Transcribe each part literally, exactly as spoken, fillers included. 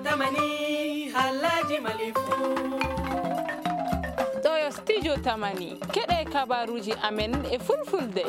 Tamani, halaji malifu. Ɗo yo studio Tamani. Keɗe kabaruji amen e fulfulde.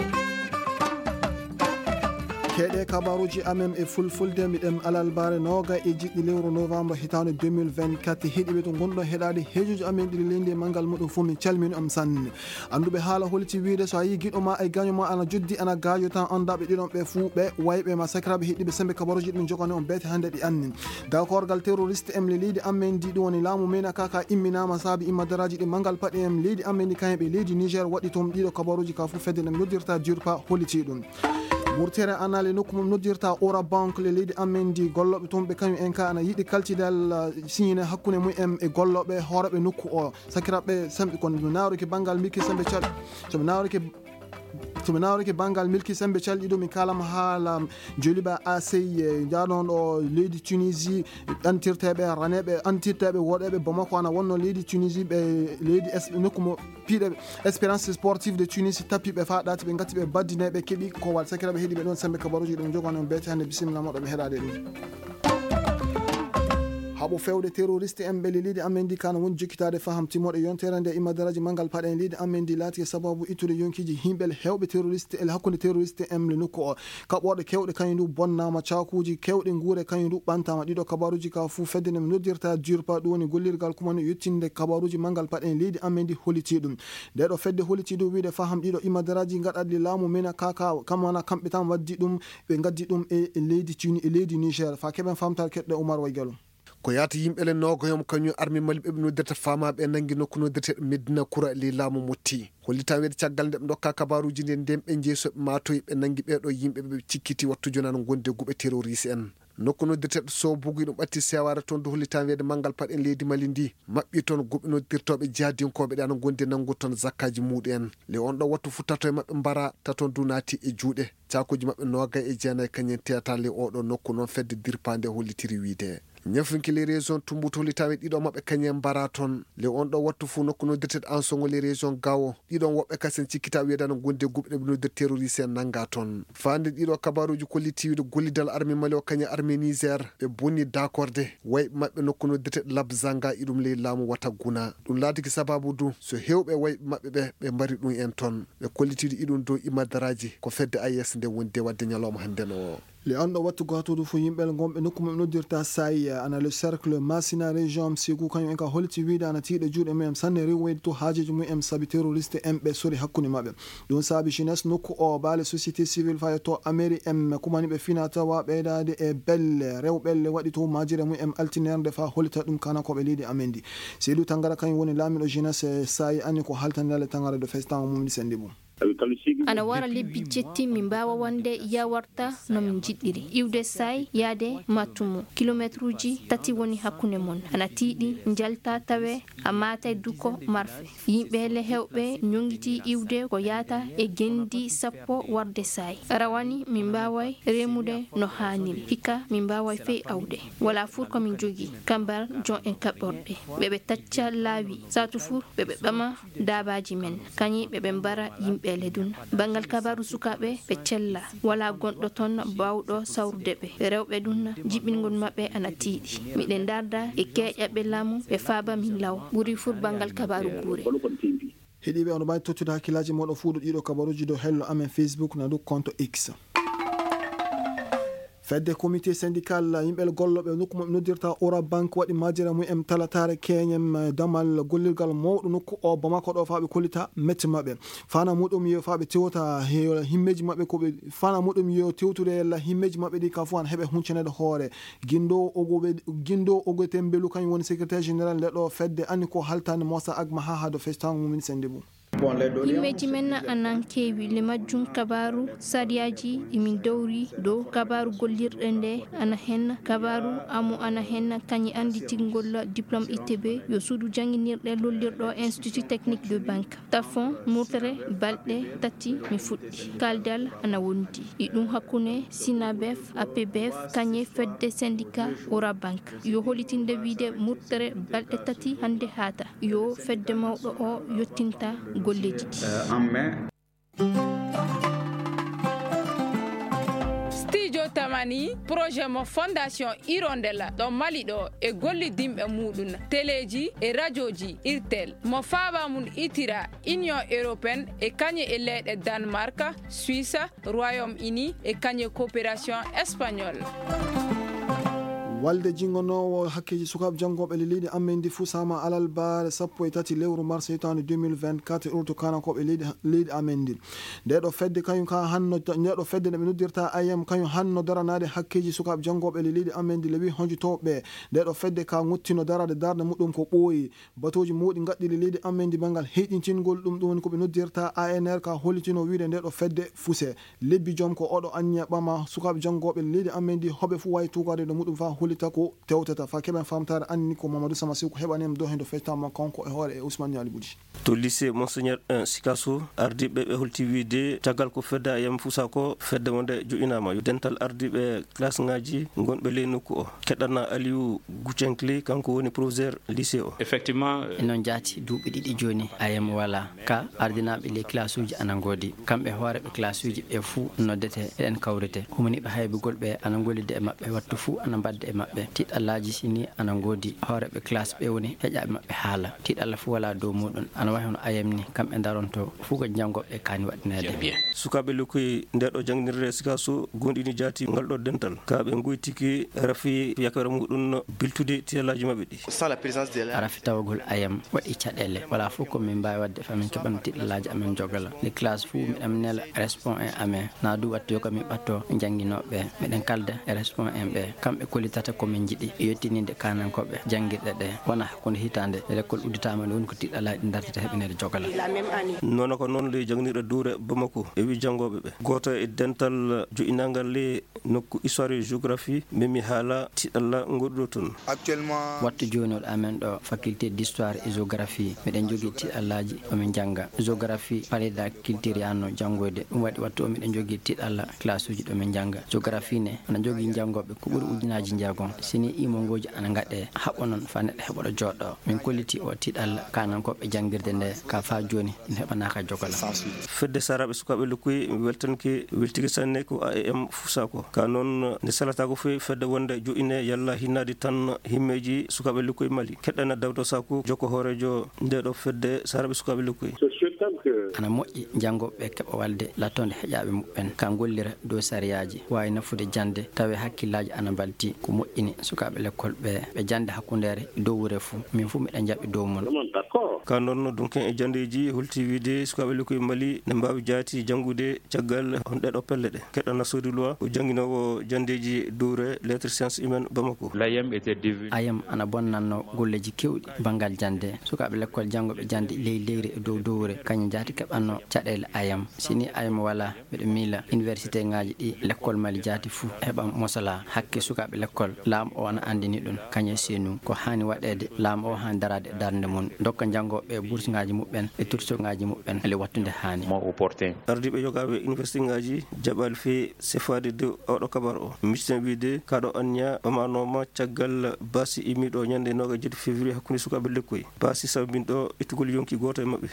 Keɗe kabaruji amen e fulfulde, miɗen alalbare noga e jiɗɗi lewru novembre hitande deux mille vingt-quatre. Heɗiɓe to gonɗo heɗade hejuji amen ɗiɗi leydi e mangal muɗum fof, min calmini on sanne. Annduɓe haala holiti wiide, so a yii giɗo ma e gaño ma ana joddi, ana gaajo tan, annda ɓe ɗiɗon ɓe fuu ɓe wayɓe ma. Sakiraaɓe heɗiiɓe, sembe kabaruuji ɗi min jogani on beete hannde ɗi anni. Dakorgal terroriste en le leydi amen ndi, ɗum woni laamu men kaka, imminaama saabi immadaraaji ɗi mangal paɗe en leydi amen ndi, kañum ɓe leydi Niger waɗi toon. Ɗiɗo kabaruuji ka fuu fedde nde noddirta DURPA holiti ɗum. Murtere anale nokku mum noddirta Ora Bank le leydi amen ndi, gollooɓe toon ɓe kañum en ka ana yiɗi kalcidal, uh, siñine hakkunde mum en e gollooɓe hooreeɓe nokku o. Sakiraaɓe, samɓi kon, mi nawrike banngal milki sembe cal-, so mi nawrike, so mi nawrike banngal milki sembe calɗi ɗo, mi kaalama haala Joliba A C, eh, jaaɗon ɗo leydi Tunisie, antirteeɓe raneeɓe, antirteeɓe woɗeeɓe Bamako ana wonno leydi Tunisie, ɓe leydi Es-, nokku mo piiɗe Espérance Sportive de Tunis, tappiɓe faa ɗaati, ɓe ngati ɓe baddine, ɓe keɓi ko wal. Sakiraaɓe heɗiiɓe ɗon sembe kabaruuji ɗum jogano beete hannde, bisimilla moɗo ɓe heɗaade ɗum. Haɓo fewde terroriste en ɓe leydi amen ndi kana woni jokkitaade faham timmoɗo yontere nde immadaraaji mangal paɗe en leydi amen ndi laati e sababu ittude yonkiji himɓe heewɓe terroriste e hakkunde terroriste en le nokku o. Kaɓorɗe kewɗe kañum du bonnaama, caakuuji kewɗe nguure kañum du ɓantaama. Ɗiɗo kabaruuji ka fuu fedde nde mi noddirta DURPA, ɗum woni gollirgal kumani yettinde kabaruuji mangal paɗe en leydi amen ndi holiti ɗum. Nde ɗo fedde holiti ɗum wiide faham ɗiɗo immadaraaji gaɗaɗi laamu mena kaka, kam wana kamɓe tan waddi ɗum. Ɓe ngaddi ɗum e leydi Tuni-, e leydi Niger. Fa keɓen famtal keɗɗo Oumar Waygalo. Ko yaata yimɓe le noogoyom kañum armi Mali ɓe ɓe noddirta faamaaɓe e nanngi nokku noddirteeɗo Medina Kura ley laamu Motti. Hollitaa weede caggal nde ɓe ndokka kabaaruuji nde ndeen ɓe njeyi so ɓe maatoyi ɓe nanngi ɓee ɗoo yimɓe ɓe ɓe cikkiti wattu jonaano gonde guɓe terroriste en. Nokku noddirteeɗo Sobugu ɗum ɓatti sewaare toon du hollitaa weede manngal paɗen leydi Mali ndi maɓɓi toon guɓe noddirtooɓe jihadinkooɓe ɗe ana ngondi nanngu toon zakkaaji muuɗum en. Le on ɗoo wattu fu tato e maɓɓe mbara taton du naati e juuɗe. Caakuuji maɓɓe noogay e jeenay kañum teyata le oo ɗoo nokku noon fedde dirpaande hollitiri wiide. Ñafinki les régions Tumboutu hollitaaɓe ɗiɗo maɓɓe kañum mbara toon. Le on ɗoo wattu fuu nokku noddirteeɗo Ansongo les régions Gao. Ɗiɗon woɓɓe kasen cikkita wiyeede no gondi e guɓe ɗe ɓe noddir terroriste en nannga toon. Faande ɗiɗo kabaaruuji kolliti wiide gollidal armée Mali o kañum armée Niger ɓe bonni dakorde wayɓe maɓɓe nokku noddirteeɗo Labzanga iɗum ley laamu Wataguna. Ɗum laatiki sababu du so heewɓe wayɓe maɓɓe ɓe, ɓe mbari ɗum en toon. Ɓe kollitiiɗo iɗum dow imadaraaji ko fedde A E S nde wondi e waɗde ñalawma hannde no. Le on ɗo wattu gatudu fu yimɓe gonɓe nokku mum noddirta Sayi, ana le cercle Masina région Sigu, kañum en ka holiti wiide ana tiiɗe juuɗe mum en sanne riwweyde to haajeji mum en sabi terroriste en ɓe sori hakkunde maɓɓe. Ɗum saabi jeunesse nokku o, baale société civile fayo to ameri en kumani ɓe fina tawa ɓeydaade e belle rewɓelle waɗi to majire mum en altinerde fa holita ɗum kana ko ɓe leydi amen ndi. Seydou Tangara kañum woni laamiɗo jeunesse Sayi, ani ko haltande le Tangara de festan o mum ndi sendi mum. Ana wara lebbi jetti mi mbaawa wonde yawarta no mi njiɗɗiri. Iwde Sayi yaade Matumu, kilometruuji tati woni hakkunde mon. Ana tiiɗi, njalta tawe a maatay duko marfe. Yimɓe le hewɓe ñoŋiti iwde ko yaata e gendi sappo warde Sayi. Rawani mi mbaaway remude no haaniri. Hikka mi mbaaway fey awde. Wala fur ko min jogi. Kambar jon en kaɓɓorɗe. Ɓe ɓe tacca laawi. Saatu fur ɓe ɓe ɓama daabaaji men, kañi ɓe ɓe mbara yimɓe le dun. Banngal kabaaru sukaaɓe ɓe cella, walaa gonɗo ton baawɗo sawrude ɓe. Rewɓe dun, jiɓingol maɓɓe ana tiiɗi. Miɗen ndarda e keeƴaɓe laamu ɓe faaba min law. Ɓuri fur banngal kabaaru guure. Heɗiiɓe, on mbawi tottude hakkillaaji moɗon fuu ɗo ɗiɗo kabaruuji dow hello amen Facebook na dow compte X. Fedde comité syndical yimɓe gollooɓe nokku mo noddirta Ora Bank waɗi majjere mum en talataare keñem damal gollirgal mawɗo nokku o Bamako ɗo faa ɓe kollita mette maɓɓe. Fana muɗum yo faa ɓe tewta he himmeeji maɓɓe ko ɓe, fana muɗum yo tewtude yalla himmeeji maɓɓe ɗi ka fof an heɓe huncanede hoore. Gindo Ogobe, Gindo Ogote Mbelu kañum woni secrétaire général nde ɗo fedde anni ko haltande Mosa Agma ha ha do festango mum sendi mum. Yimɓeeji men anan keewi le majjum kabaaru sariyaaji ɗi min dowri dow kabaaru gollirɗe nde ana hen kabaaru amu ana hen kañi anditingol diplôme I T B yo suudu jannginirɗe lollirɗo Institut Technique de Banque. Tafon murtere balɗe tati mi fuɗɗi. Kaldal ana wondi. Iɗum hakkunde Sinabef, A P B F, kañe fedde syndicat Ora Banque. Yo holitinde wiide murtere balɗe tati hannde haata. Yo fedde mawɗo o yottinta golleeji ɗi. Jotamani projet mo Fondation Hirondelle ɗo Mali ɗo e gollidinɓe muɗum teleeji e rajooji Irtel mo faaba mum itira Union Européenne e kañe e leyɗe Danemark, Suisse, Royaume-Uni e kañe coopération espagnole. Walde jingonoowo hakkeeji sukaaɓe janngooɓe le leydi amen ndi fusaama alalbaare sappo e tati lewru mars hitaande deux mille vingt-quatre e urto kanankooɓe leydi leydi amen ndi. Nde ɗo fedde kañum ka hanno nde ɗo fedde nde ɓe noddirta I M kañum hanno daranaade hakkeeji sukaaɓe janngooɓe le leydi amen ndi le wi honjotooɓe ɓe. Nde ɗo fedde ka ngottino daraade darnde muɗum ko ɓooyi batooji mawɗi ngaɗɗi le leydi amen ndi banngal heyɗintingol ɗum ɗum woni ko ɓe noddirta A N R ka hollitino wiide nde ɗo fedde fuse. Lebbi joom ko oɗo anniya ɓama sukaaɓe janngooɓe leydi amen ndi hoɓe fof wawi tuugaade no muɗum fa hollita ko tewtata fa keɓen famtaare anni ko Mamadou Sama Siw ko heɓani en ɗo heen ɗo feccitaama kanko e hoore e Ousmane Niali Bouti. To lycée Monseigneur un Sikasso, ardiiɓe ɓe holti wiide caggal ko fedde A M fusa ko fedde wonde joƴinaama yo dental ardiiɓe classe ngaji gonɓe ley nokku o keɗana Aliou Gouchenkli kanko woni professeur lycée o. Effectivement, e noon jaati duuɓi ɗiɗi jooni A M wala ka ardinaaɓe ley classe uji ana ngoodi. Kamɓe hooreeɓe classe uji ɓe fuu noddete eɗen kawrite. Humaniiɓe haybugol ɓe ana ngollida e maɓɓe wattu fuu ana mbadda e maɓɓe. Tiɗɗallaaji sini ana ngoodi hooreeɓe classe ɓe woni heƴaaɓe maɓɓe haala. Tiɗɗalla fuu wala dow muɗum ana wayi hono A M ni kamɓe daronto fuu ko janngooɓe kaani waɗineede. Sukaaɓe lekkoy nde ɗo janngirde Sikasso goonɗini jaati ngal ɗo dental ka ɓe ngoytiki rafi yakere muɗum biltude tiɗɗallaaji maɓɓe ɗi. Rafi tawagol A M waɗi caɗeele wala fof ko min mbaawi waɗde fa min keɓano tiɗɗallaaji amen jogala. Nde classe fuu miɗen nela respon en amen na du wattu yo ko min ɓatto jannginooɓe ɓe. Miɗen kalda e respon en ɓe kamɓe kollitata ko min njiɗi yettininde kanankooɓe janngirɗe ɗe wona hakkunde hitaande lekkol udditaama nde woni ko tiɗɗallaaji ɗi dartata heɓineede jogala. Nono ko noon ley janngirɗe duure Bamako e wi janngooɓe ɓe gooto e dental joƴinaangal ley nokku histoire et géographie memi haala tiɗɗalla ngoɗuɗo toon. Wattu jooni oɗo amen ɗo faculté d'histoire et géographie miɗen jogii tiɗɗallaaji omin njannga géographie parida culture yaanno janngoyde ɗum waɗi wattu o miɗen jogii tiɗɗalla classe uji ɗo min njannga géographie ne ana jogii janngooɓe ko ɓuri ujunaaji njeegom sini imongooji ana ngaɗe haɓɓo noon fa neɗɗo heɓoɗo jooɗo min kolliti o tiɗɗalla kanankooɓe janngirde nde ka fa jooni ina heɓanaaka jogola. Fedde saraaɓe sukaaɓe lekkoy weltanke weltike sanne ko A E M fusaako ka noon ne salataako foy fedde wonde joƴine yalla hinnaade tan himmeeji sukaaɓe lekkoy Mali keɗɗana Dawda Saku jokko hooreejo nde ɗo fedde saraaɓe sukaaɓe lekkoy. Ana moƴƴi janngooɓe ɓe keɓa walde lattoonde heƴaaɓe muɓɓen ka ngollira dow sariyaaji waawi nafude jannde tawi hakkillaaji ana mbalti ko moƴƴini sukaaɓe lekkol ɓe ɓe jannda hakkundeere e dowwure fuu min fuu miɗa jaɓi dow mon. Ka noon dunken e janndeeji holti wiide sukaaɓe lekkoy Mali ne mbaawi jaati janngude caggal honɗe ɗo pelle ɗe keɗɗana Sodi Luwa ko jannginoowo janndeeji dowre lettre science humaine Bamako. A M ana bonnanno golleeji keewɗi banngal jannde sukaaɓe lekkol janngo ɓe jannde ley leyre e dow dowre kañum jaati keɓanno caɗeele A M sini A M wala mbeɗa miila université ngaji ɗi lekkol Mali jaati fuu heɓa mosala hakke sukaaɓe lekkol laamu o ana anndini ɗum kañum e senu ko haani waɗeede laamu o haani daraade e darnde mum dokka janngooɓe ɓe bourse ngaji muɓɓen e turso ngaji muɓɓen ele wattude haani. Ardiiɓe yogaaɓe université ngaji jaɓaali fii sifaade dow oɗo kabar o miciten wiide kaɗo anniya ɓamanooma caggal baasi immiiɗo ñande noogaas e jeetati février hakkunde sukaaɓe lekkoy baasi sabbinɗo ittugol yonki gooto e maɓɓe.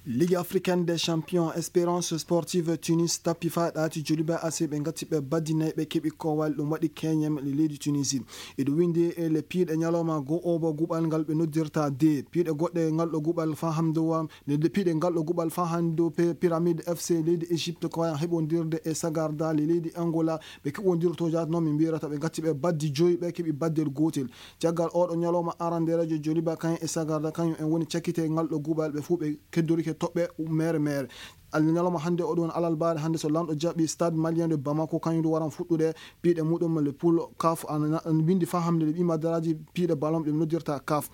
Ligue africaine des champions, Espérance Sportive Tunis tappi faa ɗaati Djoliba A C ɓe ngatti ɓe baddi nayi ɓe keɓi koowal ɗum waɗi keñem le leydi Tunisie. Iɗo winndi e le piiɗe ñalawma goo oba guɓal ngal ɓe noddirta de piiɗe goɗɗe ngal ɗo guɓal faa hamdowa le piiɗe ngal ɗo guɓal faa hannde dow pyramide F C leydi Égypte ko wayan heɓondirde e Sagarda le leydi Angola ɓe keɓondirto jaatno min mbirata ɓe ngatti ɓe baddi joyi ɓe keɓi baddel gootel. Caggal oɗo ñalawma aranderejo Djoliba kañum e Sagarda kañum en woni cakkite ngal ɗo guɓal ɓe fuu ɓe keddorike toɓɓe mere mere. Ñalawma hannde oɗo woni alalbaare hannde so lanɗo jaɓi stade malien de Bamako kañum du waran fuɗɗude piiɗe muɗum le poule caf ana winndi faa hamde le ɓima daraaji piiɗe ballon ɗum noddirta caf.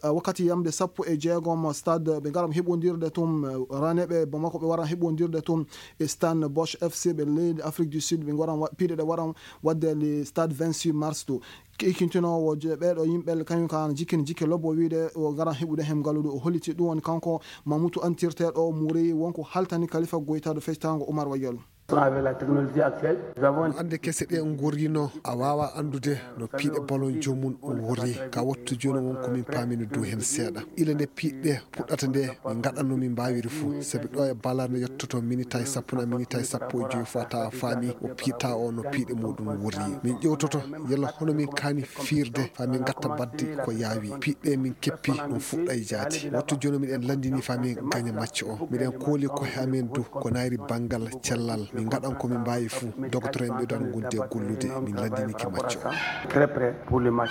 Wakkati yamde sappo e jeegom stade ɓe ngaran heɓondirde tum raneɓe Bamako ɓe waran heɓondirde tum e stade Bosch F C ɓe leydi Afrique du Sud ɓe ngaran piiɗe ɗe waran waɗde le stade vingt-six mars to. Ikkintinoowo ɓeeɗo yimɓe kañum ka ana jikkini jikke lobbo wiide o garan heɓude heen ngaluɗo o holliti ɗum woni kanko Mamutu antirteeɗo o muri wonko haltani Kalifa Goyta ɗo fectaango Umar Wayol. Avec la technologie actuelle, nous avons... Annde kese ɗe ngorrino, a waawa anndude no piiɗe ballon joomum worri. Ka wattu jooni won ko min paamini dow heen seeɗa. Ila nde piiɗe puɗɗata nde, min ngaɗanno min mbaawiri fuu. Sabi ɗo e ballon nde yottoto minitaji sappo na minitaji sappo e joyi fota faami o piita o no piiɗe muɗum worri. Min ƴewtoto yalla hono min kaani fiirde faa min ngatta baɗdi ko yaawi. Piiɗe min keppi ɗum fuɗɗa e jaati. Wattu jooni miɗen lanndini faa min gaña macce o. Miɗen kooli kohe amen du ko nayri banngal cellal. Min ngaɗan ko min mbaawi fuu. Dogotoro en ɓeydan gonde gollude. Min lanndinike macce o. Très prêt pour le match.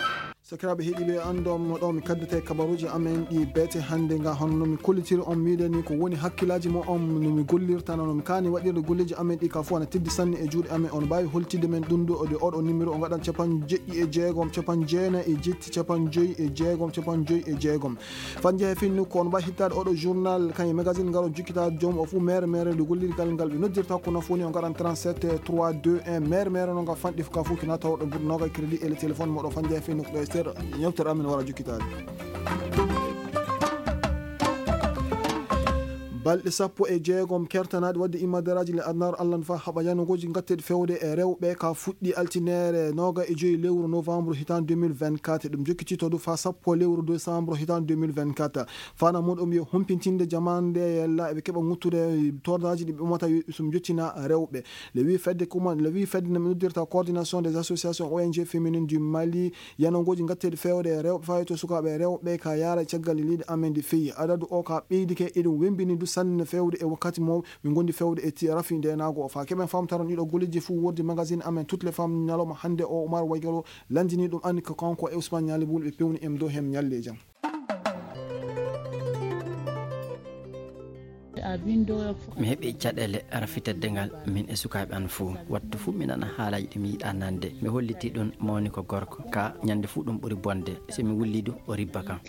Sakiraaɓe heɗiiɓe, anndon mo ɗo mi kaddete kabaruuji amen ɗi beete hannde nga, hono no mi kollitiri on miɗen ni ko woni hakkillaaji mo on no mi gollirta no mi kaani waɗirde golleeji amen ɗi ka fof ana teddi sanne e juuɗe amen. On mbaawi holtidde men ɗum ɗo e oɗo numéro o ngaɗan capanɗe jeɗɗi e jeegom capanɗe jeenayi e jetti capanɗe joyi e jeegom capanɗe joyi e jeegom. Fannje he finnu ko on mbaawi hittaade oɗo journal kañum e magazine ngal o jukkitaade joom o fof mere mere nde gollirgal ngal ɓe noddirta ko nafo ni o ngaɗan trente-sept trois deux un mere mere no ngal fanɗi ka fof kina tawɗo buɗo noga crédit e le téléphone moɗo fannje he finnu ko ɗo e seeɗa ñewtere amen wara jukkitaade. Balɗe sappo e jeegom kertanaaɗi waɗde immadaraaji le adnaaru Allah no faa haɓa yanogooji ngatteeɗi fewde e rewɓe ka fuɗɗi altinere noga e joyi lewru novembre hitan deux mille vingt-quatre. Ɗum jokkiti to du faa sappo lewru décembre hitan deux mille vingt-quatre. Fana muɗum yo humpintinde jamaande yalla eɓe keɓa ŋuttude tordaaji ɗi ɓe umata yo ɗum jottina rewɓe. Le wi fedde kuma, le wi fedde no mi noddirta coordination des associations O N G féminines du Mali, yanogooji ngatteeɗi fewde e rewɓe fayto sukaaɓe rewɓe ka yaara caggal e leydi amen ndi feyi. Adadu o ka ɓeydike eɗum wembini du sanne fewde e wakkati mo min gondi fewde e ti rafi ndenago o fa keɓen famtaron ɗiɗo golleji fuu wordi magazine amen toutes les femmes ñalawma hannde o Oumar Waygalo lanndini ɗum anni ko kanko e Ousmane Ñaali Bul ɓe pewni em dow hem ñalle e jam. Mi heɓi caɗeele rafitedde ngal min e sukaaɓe an fuu. Wattu fuu mi nana haalaaji ɗi mi yiɗaa nande. Mi holliti ɗum mawni ko gorko. Ka ñande fuu ɗum ɓuri bonde. Si mi wulli du o ribba kam.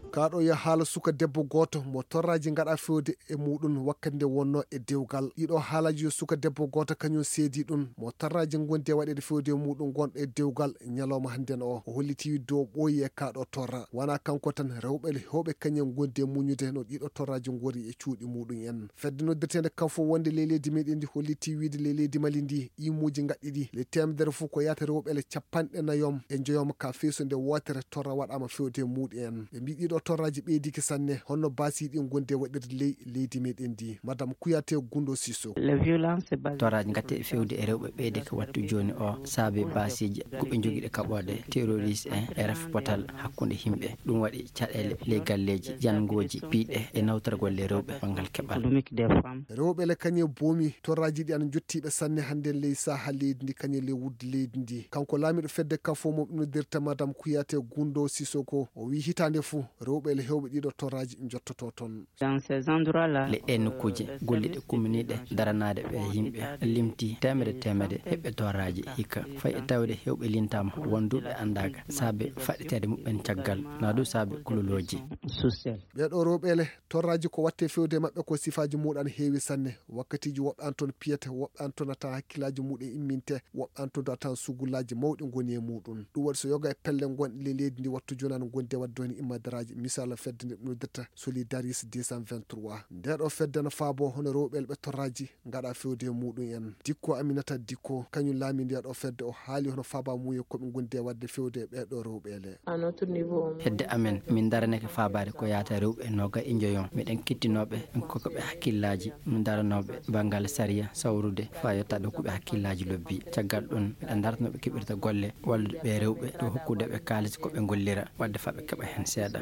Kaɗo ya haala suka debbo gooto mo torraaji ngaɗa fewde e muɗum wakkati nde wonno e dewgal. Ɗiɗo haalaji yo suka debbo gooto kañum seedi ɗum mo torraaji gondi e waɗeede fewde e muɗum gonɗo e dewgal ñalawma hannden o. O holliti dow ɓooyi e kaɗo torra. Wona kanko tan, rewɓe hewɓe kañum gondi e muñude no ɗiɗo torraaji ngori e cuuɗi muɗum en. Fedde noddirteende kafo wonde ley leydi meɗen ndi holliti wiide ley leydi Mali ndi imuuji ngaɗɗiɗi le temedere fof ko yahata rewɓe le capanɗe nayom e njoyom ka feeso nde wootere torra waɗama fewde e muɗum en. Ɓe mbi ɗiɗo torraji ɓeydiki sanne honno basiɗi gonde waɗirde ley leydi meɗen ndi. Madame Kouyaté Gundo Sissoko. Torraji gatte fewde e rewɓe ɓeyde ko wattu joni o saabe basiiji ko ɓe jogiɗe kaɓode terroriste en e ref potal hakkunde himɓe. Ɗum waɗi caɗele ley galleji, jangoji, piiɗe e nawtorgol le rewɓe banngal keɓal. Rewɓe le kañe boomi torraji ɗi ana jottiɓe sanne hannde ley saha leydi ndi kañe le wudde leydi ndi. Kanko laamiɗo fedde kafo mo noddirta Madame Kouyaté Gundo Sissoko o wi hitande fuu rewɓe le hewɓe ɗiɗo torraji jottoto toon. Le ɗe nokkuuje golliɗe kumminiɗe daranaade ɓe yimɓe limti temede temede heɓɓe torraji hikka. Fay e tawde hewɓe lintama won duuɓe andaaka saabe faɗɗiteede muɓɓen caggal na du saabe kulolooji. Ɓeɗo rewɓe le torraji ko watte fewde maɓɓe ko sifaji muɗan heewi sanne. Wakkatiji woɓɓe an toon piyete, woɓɓe an toon atan hakkillaji muɗum imminte, woɓɓe an toon atan sugullaji mawɗi goni e muɗum. Ɗum waɗi so yoga e pelle gonɗe ley leydi ndi wattu joni an gondi e wadde woni immadaraaji. Misal fedde nde noddirta Solidaris deux cent vingt-trois. Nde ɗo fedde no faabo hono rewɓe elɓe torraji ngaɗa fewde e muɗum en. Dikko Aminata Dikko kañum laami nde ɗo fedde o haali hono faaba muuyo ko ɓe gondi e wadde fewde e ɓeɗo rewɓe ele. Hedde amen min daraneke faabaade ko yaata rewɓe noga e njoyon. Miɗen kettinooɓe en kokoɓe hakkillaaji no daranooɓe banngal sariya sawrude faa yottaade hokkuɓe hakkillaaji lobbi. Caggal ɗum miɗen darata no ɓe keɓirta golle wallude ɓe rewɓe ɗo hokkude ɓe kaalis ko ɓe ngollira wadde faa ɓe keɓa heen seeɗa.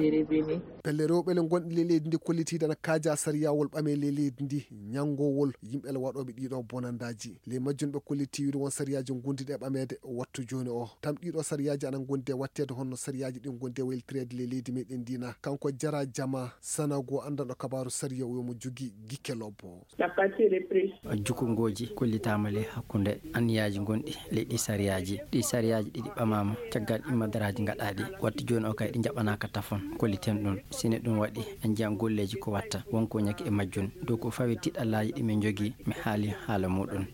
Pelle rewɓe le gonɗi le leydi ndi kollitiiɗe ana kaaja sariyawol ɓame le leydi ndi ñanngowol yimɓe le waɗooɓe ɗiɗo bonandaaji. Ley majjum ɓe kolliti wiide won sariyaaji ngonduɗi e ɓameede wattu jooni o. Tam ɗiɗo sariyaaji ana ngondi e watteede honno sariyaaji ɗin ngondi e waylitireede ley leydi meɗen ndi na. Kanko Jara Jama Sanago anndanɗo kabaaru sariya o wi'o mo jogii gikke lobbo. Jukungooji kollitaama ley hakkunde anniyaaji gonɗi ley ɗi sariyaaji. Ɗi sariyaaji ɗiɗi ɓamaama caggal ɗi madaraaji ngaɗaaɗi. Wattu jooni o kay ɗi njaɓanaaka tafon kolliten ɗum. Sine ɗum waɗi en njiyan golleeji ko watta won ko ñaki e majjum. Dow ko fawi tiɗallaaji ɗi min njogii mi haali haala muɗum.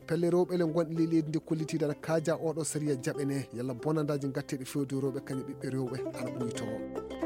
Pelle rewɓe le gonɗe ley leydi ndi kollitiiɗe ana kaaja oɗo sariya jaɓene yalla bonandaaji ngatteeɗi fewde rewɓe kañum ɓiɓɓe rewɓe ana ɓuytoo.